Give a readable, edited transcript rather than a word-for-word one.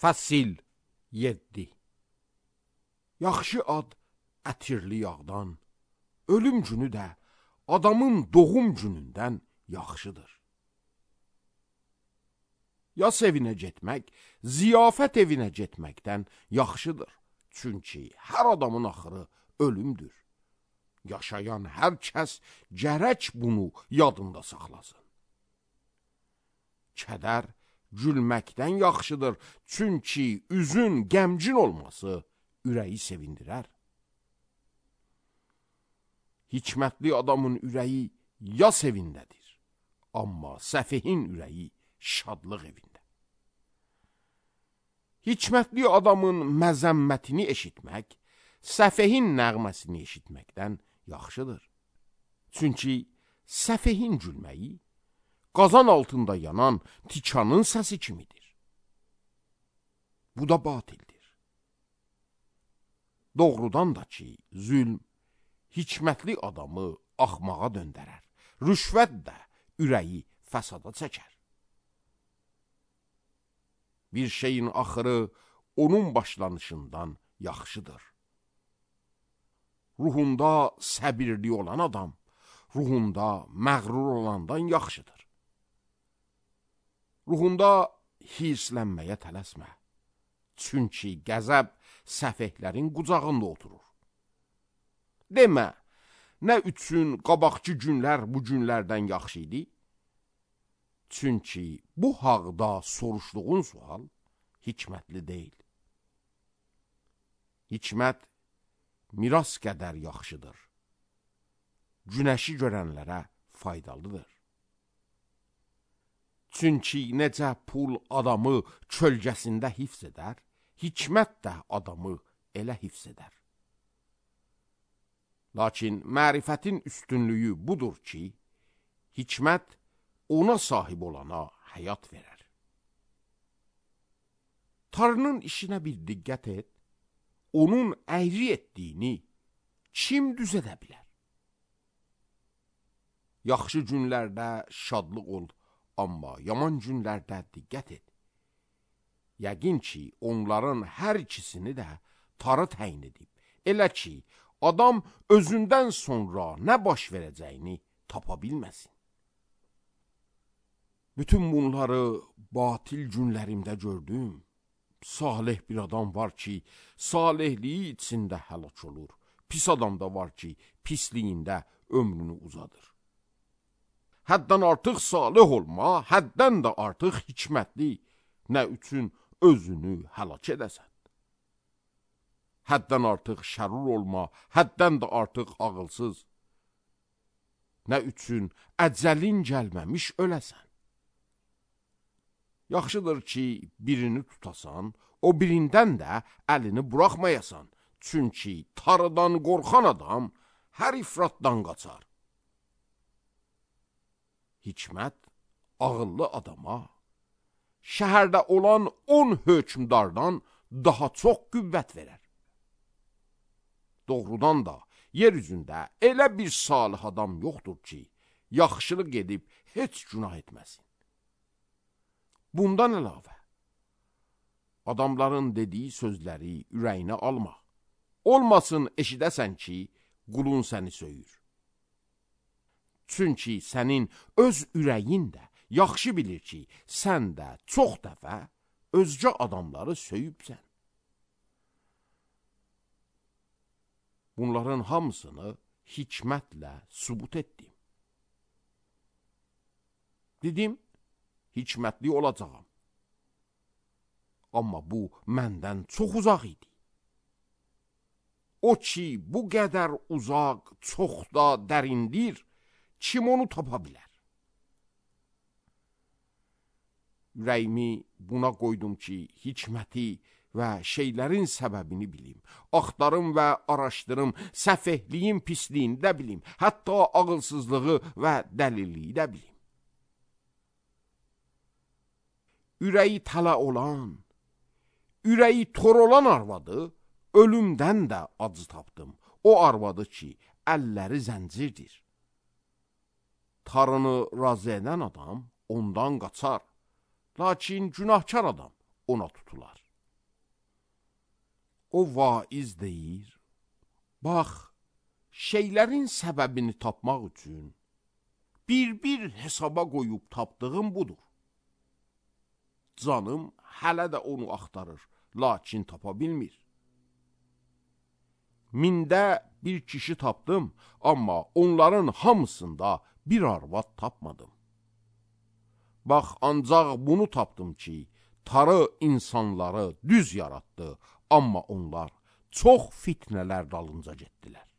Fəsil 7. Yaxşı ad ətirli yağdan, ölüm günü də adamın doğum günündən yaxşıdır. Yas evinə getmək, ziyafət evinə getməkdən yaxşıdır. Çünki hər adamın axırı ölümdür. Yaşayan hər kəs gərək bunu yadında saxlasın. Kədər gülməkdən yaxşıdır, çünki üzün qəmgin olması ürəyi sevindirər. Hikmətli adamın ürəyi yas evindədir, amma səfehin ürəyi şadlıq evində. Hikmətli adamın məzəmmətini eşitmək, səfehin nəğməsini eşitməkdən yaxşıdır. Çünki səfehin gülməyi, qazan altında yanan tikanın səsi kimidir. Bu da batildir. Doğrudan da ki, zülm hikmətli adamı axmağa döndərər, rüşvət də ürəyi fəsada çəkər. Bir şeyin axırı onun başlanışından yaxşıdır. Ruhunda səbirli olan adam, ruhunda məğrur olandan yaxşıdır. Ruhunda hirslənməyə tələsmə. Çünki qəzəb səfehlərin qucağında oturur. Demə, nə üçün qabaqçı günlər bu günlərdən yaxşı idi? Çünki bu haqda soruşduğun sual hikmətli deyil. Hikmət miras qədər yaxşıdır. Günəşi görənlərə faydalıdır. Çünki necə pul adamı kölgəsində hifz edər, hikmət də adamı elə hifz edər. Lakin mərifətin üstünlüyü budur ki, hikmət ona sahib olana həyat verər. Tanrının işinə bir diqqət et, onun əyri etdiyini kim düz edə bilər? Yaxşı günlərdə şadlıq ol, amma yaman günlərdə diqqət et. Yəqin ki, onların hər ikisini də Tanrı təyin edib. Elə ki, adam özündən sonra nə baş verəcəyini tapa bilməsin. Bütün bunları batil günlərimdə gördüm. Salih bir adam var ki, salihliyi içində həlak olur. Pis adam da var ki, pisliyində ömrünü uzadır. Həddən artıq salih olma, həddən də artıq hikmətli, nə üçün özünü həlak edəsən? Həddən artıq şərur olma, həddən də artıq ağılsız, nə üçün əcəlin gəlməmiş öləsən? Yaxşıdır ki, birini tutasan, o birindən də əlini buraxmayasan. Çünki Tanrıdan qorxan adam hər ifratdan qaçar. Hikmət ağıllı adama şəhərdə olan 10 hökmdardan daha çox qüvvət verər. Doğrudan da yer üzündə elə bir salih adam yoxdur ki, yaxşılıq edib heç günah etməsin. Bundan əlavə, adamların dediyi sözləri ürəyinə alma. Olmasın eşidəsən ki, qulun səni söyür. Çünki sənin öz ürəyin də yaxşı bilir ki, sən də çox dəfə özgə adamları söyübsən. Bunların hamısını hikmətlə sübut etdim. Dedim, hikmətli olacağam. Amma bu məndən çox uzaq idi. O ki, bu qədər uzaq, çox da dərindir, kim onu tapa bilər? Ürəyimi buna qoydum ki, hikməti və şeylərin səbəbini bilim. Axtarım və araşdırım, səfehliyin pisliyini də bilim. Hətta ağılsızlığı və dəlilliyi də bilim. Ürəyi tələ olan, ürəyi tor olan arvadı ölümdən də acı tapdım. O arvadı ki, əlləri zəncirdir. Tanrını razı edən adam ondan qaçar. Lakin günahkar adam ona tutular. O vaiz deyir, bax, şeylərin səbəbini tapmaq üçün bir hesaba qoyub tapdığım budur. Canım hələ də onu axtarır, lakin tapa bilmir. Mində bir kişi tapdım, amma onların hamısında bir arvad tapmadım. Bax, ancaq bunu tapdım ki, Tanrı insanları düz yaratdı, amma onlar çox fitnələr dalınca getdilər.